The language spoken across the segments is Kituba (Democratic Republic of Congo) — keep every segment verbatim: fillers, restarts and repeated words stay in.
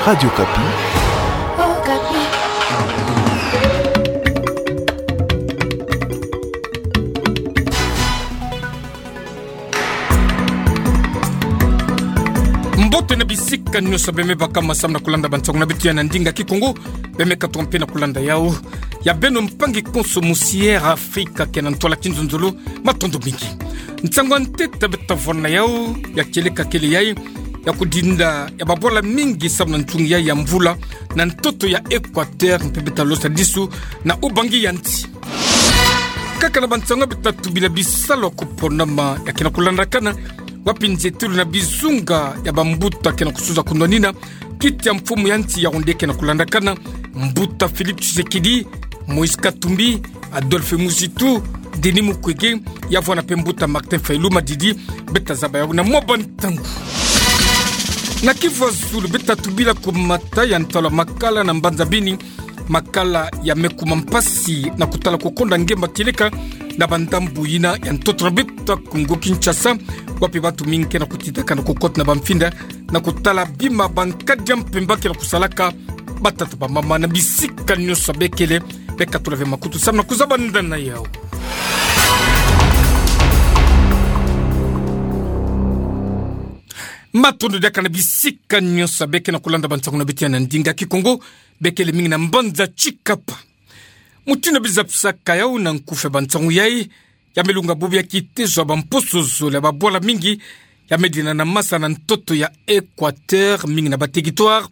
Radio Okapi. Mbote na bisika nyonso bemei bakama samu na kulanda bansangu na beto ya na ndinga Kikongo, bemei katuka mpe na kulanda yau ya beno mpangi konso musi Air Afrika ke na ntwala kinzonzolo, matondo mingi. Nsangu ya ntete beto tavwani na yau ya kieleka kele yayi ya kudinda ya babwala mingi samu na nzungu yayi ya mvula na ntoto ya Equateur, mpe beto talosa disu na ubangi ya nti. Kaka na bansangu beto tatubila bisalu ya kuponama ya ke na kulandakana, wapi nzietulu na bizunga ya bambuta ke na kusuza kunwanina kiti ya mfumu ya nti ya onde ke na kulandakana, mbuta Félix Tshisekedi, Moïse Katumbi, Adolphe Muzitu, Denis Mukwege, ya vwanda mpe mbuta Martin Fayulu Madidi. Beto tazaba yau na mwa bantangu. Na Kivu ya zulu beto tatubila kumata ya ntalo ya makala na mbanza Beni, makala ya me kuma mpasi na kutala kukonda ngemba kieleka na bandambu yina ya ntoto na beto ya Kongo Kinshasa, wapi bantu mingi ke na kutitaka na kukota na bamfinda na kutala bima bankadi ya mpemba ke na kusalaka. Batata, bamama na bisika nyonso bekele, beka tula ve makutu samu na kuzabanda na yau. Matondo diaka na bisika nyonso beke na kulanda bansangu na beto ya na ndinga Kikongo, bekele mingi na mbanza Tshikapa. Mutindu bizapisaka yau na nkufi ya bansangu yayi, ya me lunga bubu ya kitezo ya bamposo zole ya babwala mingi ya me dina na masa na ntoto ya Equateur, mingi na baterritoire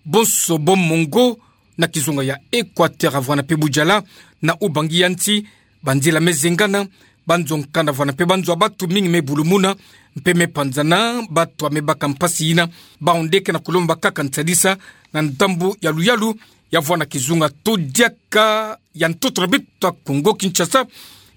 bonso bo mongo na kizunga ya Equateur, ya vwanda mpe Boudiala na ubangi ya nti. Banzila me zengana, banzo nkanda vwanda mpe banzo ya bantu mingi me bulumuna mpe me panzana. Bantu ya me baka mpasi yina, bau nde ke na kulomba kaka nsadisa na ndambu ya luyalu ya vwanda kizunga to diaka ya ntoto na beto ya Kongo Kinshasa.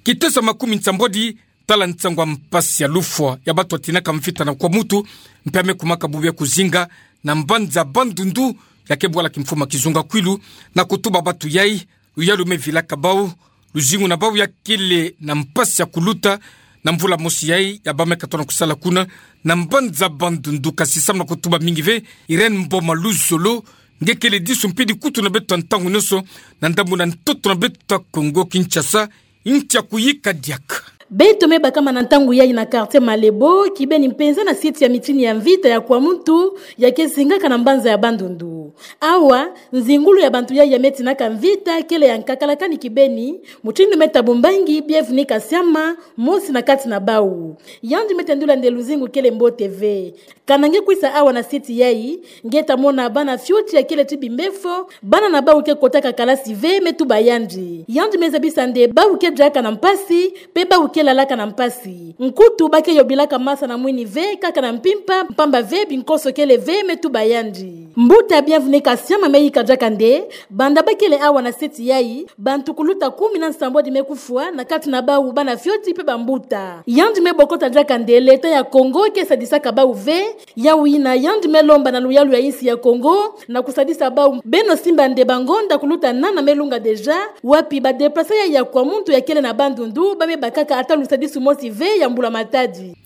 Kitezo ya makumi nsambwadi, tala nsangu ya mpasi ya lufwa ya bantu ya tinaka mvita na kwa mutu, mpe ya me kumaka bubu ya kuzinga na mbanza Bandundu, ya ke bwala kimfumu ya kizunga Kwilu, na kutuba bantu yayi luyalu me vilaka bau, luzingu na bau ya kele na mpasi ya kuluta na mvula mosi yayi ya bau me katona kusala kuna na mbanza Bandundu. Kasi samu na kutuba mingi ve, Irène Mboma Luzolo, nge kele disu mpidi kutu na beto ya ntangu nyonso na ndambu na ntoto na beto ya Kongo Kinshasa, nti ya kuyika diaka. Beto me bakama na ntangu yayi na quartier Malebo, kibeni mpenza na site ya mitini ya mvita ya kwa mutu, ya ke zingaka na mbanza ya Bandundu. Awa, nzingulu ya bantu yayi ya me tinaka mvita kele ya nkakalakani kibeni, mutindu me tabu mbangi Bienvenu Kasiama, mosi na kati na bau. Yandi me tendula nde luzingu kele mbote ve. Kana nge kwisa awa na site yayi, nge ta mona bana fioti ya kele ti bimbefo, bana na bau ke kotaka kalasi ve, me tuba yandi. Yandi me zabisa nde bau ke diaka na mpasi, mpe bau ke lalaka na mpasi. Nkutu ba ke yobilaka masa na mwini ve, kaka na mpimpa, mpamba ve, binkoso kele ve, me tuba yandi. Mbuta Bienvenu Kasiama me yika diaka nde, banda ba kele awa na site yayi, bantu kuluta kumi na nsambwadi me kufwa, na kati na bau bana fioti mpe bambuta. Yandi me bokota diaka nde l'État ya Kongo ke sadisaka bau ve, yau yina yandi me lomba na luyalu ya insi ya Kongo na kusadisa bau. Beno simba nde bangonda kuluta nana me lunga déjà, wapi ba déplacés yayi ya kwa mutu ya kele na Bandundu ba me bakaka ata lusadisu mosi ve ya mbula matadi.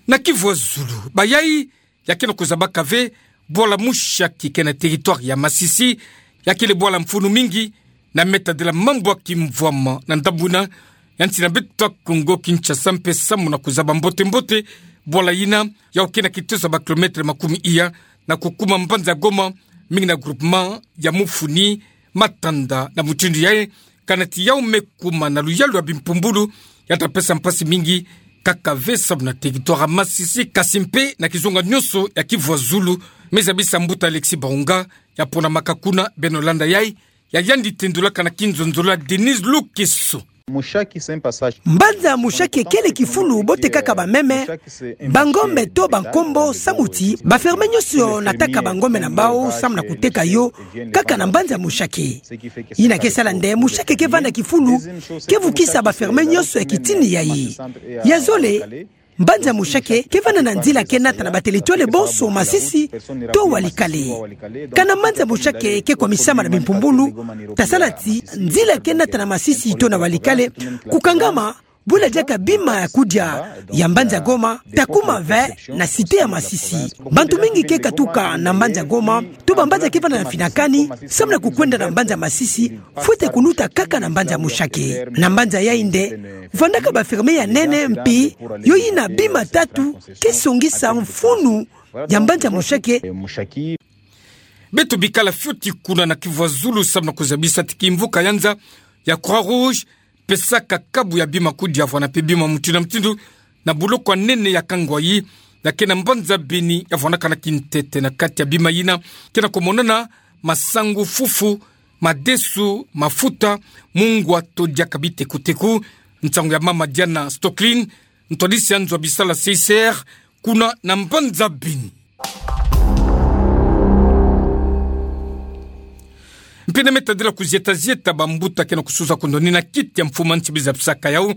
Na Kivu ya zulu, bayayi ya ke na kuzabaka ve bwala Mushaki ke na territoire ya Masisi, ya kele bwala mfunu mingi, na me tadila mambu ya kimvwama na ndambu yina ya nsi na beto ya Kongo Kinshasa, mpe samu na kuzaba mbote mbote bwala yina, yau ke na kitezo ya ba kilomètres makumi iya na kukuma mbanza Goma, mingi na groupement ya Mufuni, Matanda na mutindu yayi, kana ti yau me kuma na luyalu ya bimpumbulu, ya ta pesa mpasi mingi kaka ve samu na territoire ya Masisi, kasi mpe na kizunga nyonso ya Kivu ya zulu, me zabisa mbuta Alexis Baunga, ya ponamaka kuna. Beno landa yayi, ya yandi tendulaka na kinzonzolo ya Denise Lukeso. Mbanza Mushaki kele kifulu bo tekaka bameme, bangombe to bankombo, samu ti ba fermiers nyonso nataka bangombe na bau samu na kuteka yo kaka na mbanza Mushaki. Yina ke sala nde Mushaki ke vanda kifulu ke vukisa ba fermiers nyonso ya kitini yayi. Ya zole, mbanza Mushaki ke vanda na nzila ke nata na ba territoires bonso, Masisi to Walikale. Kana mbanza Mushaki ke kwamisama na bimpumbulu, ta sala ti nzila ke nata na Masisi to na Walikale kukangama, bula diaka bima ya kudia ya mbanza Goma ta kuma ve na cité ya Masisi. Bantu mingi ke katuka na mbanza Goma Yo bambanza ke vanda na finakani, samu na kukwenda na mbanza masisi, fwete kunuta kaka na mbanza Mushake. Na mbanza yayi nde, vandaka ba ferme ya nene mpi, yo yina bima tatu, ke songisa mfunu ya mbanza Mushake. Beto bikala fioti kuna na Kivu ya Zulu samu na kuzabisa ti kimvuka ya nza ya Croix-Rouge pesaka kabu ya bima kudia vwana mpe bima mutindu na mutindu na buloko ya nene ya Kangwayi, ya ke na mbanza Beni, ya vwanaka na kintete na kati ya bima yina ke na kumonana masangu, fufu, madesu, mafuta, mungwa to diaka bitekuteku. Nsangu ya mama Diana Stocklin, ntwadisi ya nzo ya bisala C I C R, kuna na mbanza Beni. Mpe na me tadila kuzieta-zieta bambuta ke na kusuza kundoni na kiti ya mfumu ya nsi bizapisaka yau,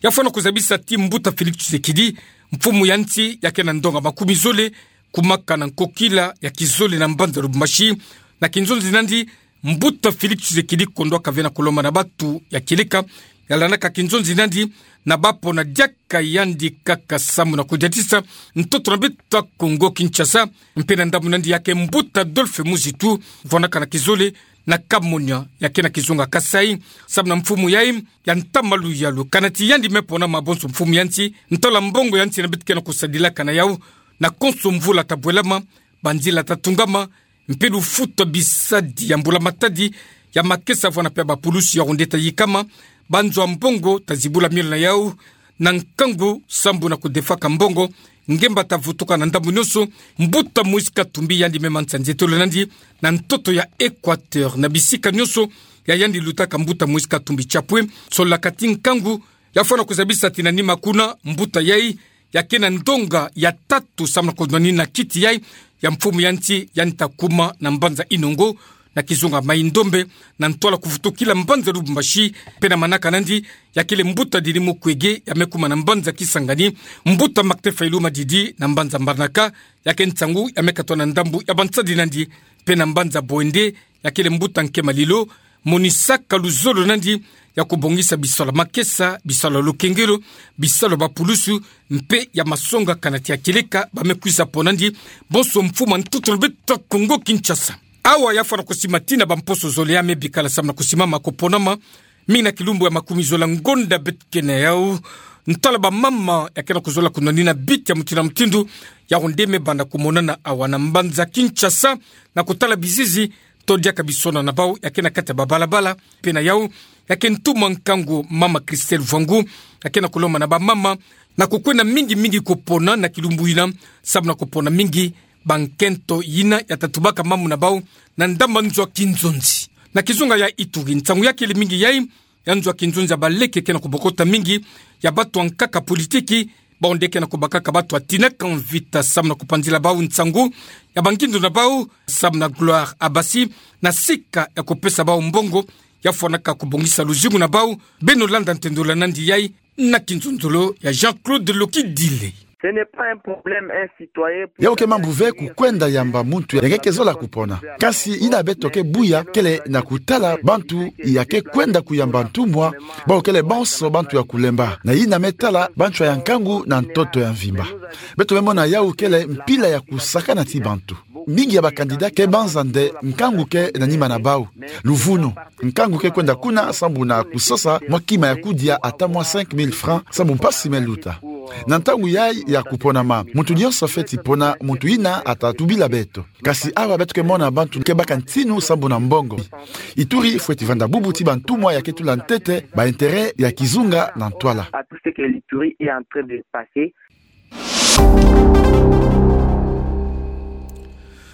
ya fwana kuzabisa ti mbuta Félix Tshisekedi, mfumu ya nsi ya ke na ndonga makumi zole, kumaka na nkokila ya kizole na mbanza Lubumbashi, na kinzonzi nandi, mbuta Félix Tshisekedi kondwaka ve na kulomba na batu ya kieleka ya landaka kinzonzi nandi na bapona diaka yandi kaka samu na kudiatisa ntoto na beto ya Kongo Kinshasa. Mpe na ndambu nandi ya ke mbuta Adolphe Muzitu, vwanaka na kizole na Kamonia ya ke na kizunga Kasaï, samu na mfumu yayi ya ntama luyalu. Kana ti yandi me pona mabonso mfumu ya nsi, ntala mbongo ya nsi na beto ke na kusadilaka na yau, na konso mvula ta bwelama, banzila ta tungama, mpe lufuta bisadi ya mbula matadi ya makesa vwana mpe ya bapulusi ya onde ta yikama, banzo ya mbongo ta zibula miolo na yau, na nkangu sambu na kudefaka mbongo, ngemba ta vutuka na ndambu nyonso. Mbuta Moïse Katumbi yandi me manisa nzietolo nandi na ntoto ya Équateur, na bisika nyonso ya yandi lutaka mbuta Moïse Katumbi Chapwe, sololaka ti nkangu, ya fwana kuzabisa ti na nima kuna mbuta yayi ya ke na ndonga ya tatu samu na kundoni na kiti yayi ya mfumu ya nsi, yandi ta kuma na mbanza Inongo, na kizunga Maï-Ndombe, na ntwala kuvutukila mbanza Lubumbashi. Mpe na manaka nandi, ya kele mbuta Denis Mukwege, ya me kuma na mbanza Kisangani, mbuta Martin Fayulu Madidi na mbanza Mbandaka, ya ke nsangu ya me katwa na ndambu ya bansadi nandi, mpe na mbanza Boende, ya kele mbuta Nkema Lilo, monisaka luzolo nandi ya kubongisa bisalu ya makesa, bisalu ya lukengelo, bisalu ya bapulusu, mpe ya masonga. Kana ti ya kieleka ba me kwisa pona nandi bonso mfumu ya ntoto na beto ya Kongo Kinshasa. Awa ya fwana kusima ti na bamposo zole ya me bikala samu na kusimama kuponama, mingi na kilumbu ya makumi zole ya ngonda beto ke na yau, ntala bamama ya ke na kuzola kundoni na biti ya mutindu na mutindu ya onde me banda kumonana awa na mbanza Kinshasa, na kutala bizizi to diaka bisona na bau ya ke na kati ya babalabala. Mpe na yau, ya ke ntumwa nkangu mama Christelle Mvoingou, ya ke na kulomba na bamama na kukwenda mingi-mingi kupona na kilumbu yina, samu na kupona mingi bankento yina ya ta tubaka mamu na bau na ndambu ya nzo ya kinzonzi. Na kizunga ya Ituri, nsangu ya kele mingi yayi, ya nzo ya kinzonzi ya baleke ke na kubokota mingi, ya batu ya nkaka politiki, bau nde ke na kubakaka batu ya tinaka mvita samu na kupanzila bau nsangu ya bangindu na bau, samu na Gloire Abasi, na sika ya kupesa bau mbongo ya fwanaka kubongisa luzingu na bau. Beno landa ntendolo nandi yayi na kinzonzolo ya Jean-Claude Lokidile. Ce n'est pas un problème, un citoyen pour... Yau ke mambu ve kukwenda yamba muntu ya ke ke zola kupona. Kasi yina beto ke buya kele na kutala bantu ya ke kwenda kuyamba ntumwa, bau kele bonso bantu ya kulemba. Na yina me tala bantu ya nkangu na ntoto ya mvimba. Beto me mona yau kele mpila ya kusakana ti bantu. Mingi ya ba candidat ke banza nde nkangu ke na nima na bau. Luvunu. Nkangu ke kwenda kuna sambu na kusosa mwa kima ya kudia ata mwa cinq mille francs sambu mpasi me luta. Na ntangu yayi ya kuponama, muntu nyonso fweti pona muntu yina ata tubila beto. Kasi awa beto ke mona bantu ke baka ntinu sambu na mbongo. Ituri fweti vanda bubu ti bantumwa ya ke tula ntete ba intérêt ya kizunga na ntwala. À tout ce que l'Ituri est en train de passer.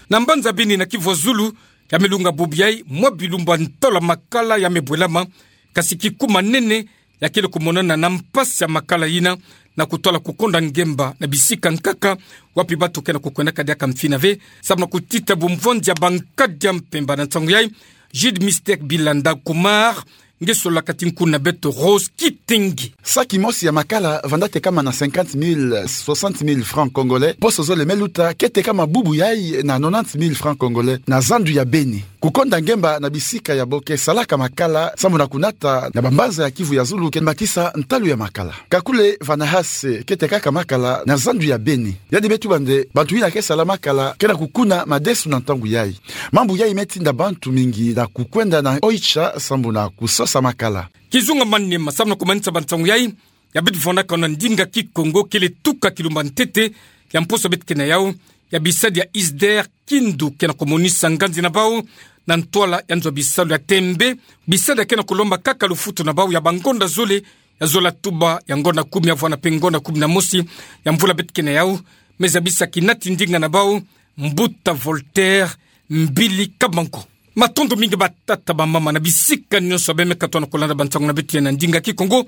Na mbanza Beni na Kivu ya Zulu, ya me lunga bubu yayi mwa bilumbu ya ntola makala ya me bwelama, kasi kikuma nene ya kele kumonana na mpasi ya makala yina, na kutwala kukonda ngemba na bisika nkaka, wapi batu ke na kukwendaka diaka mfina ve, samu na kutita bumvwanzi ya bankadi ya mpemba. Na nsangu yayi, Jude Mystère Bilanda Kumar, nge sololaka ti nkuna beto Rose Kitenge. Saki mosi ya makala vanda tekama na cinquante mille, soixante mille francs congolais. Poso zole me luta ke tekama bubu yayi na nonante mille francs congolais na zandu ya Beni. kukonda ngemba na bisika yabo ke salaka makala, sambu na kunata na bambanza ya Kivu ya zulu ke bakisa ntalu ya makala. Kakule Vanahase ke tekaka makala na zandu ya Beni. Yandi me tuba nde bantu yina ke sala makala ke na kukuna madesu na ntangu yayi. Mambu yayi me tinda bantu mingi na kukwenda na Oicha sambu na kusosa makala. Kizunga manima, sambu na kumanisa bansangu yayi, ya beto vwanakana na ndinga Kikongo, kele tuka kilumba ntete ya mposo beto ke na yau, ya bisadi ya ISDER Kindu ke na kumonisa nganzi na bau na ntwala ya nzo ya bisalu ya tembe, bisadi ya ke na kulomba kaka lufutu na bau ya bangonda zole, ya zola tuba ya ngonda kumi ya vwana pe ngonda kumi na mosi ya mvula beto ke na yau, me zabisa kinati ndinga na bau, Mbuta Voltaire Mbili Kabango. Matondo mingi batata, bamama, na bisika nyonso beno me katuka na kulanda bansangu na beto ya na ndinga Kikongo,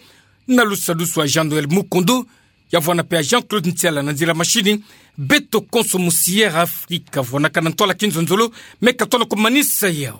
na lusadusu ya Jean Noël Mukondo, ya vwana pe ya Jean-Claude Ntiala na nzila mashini. Beto konso mu Sierra Africa, vwanakana na ntwala kinzonzolo, me katuka na kumanisa yau.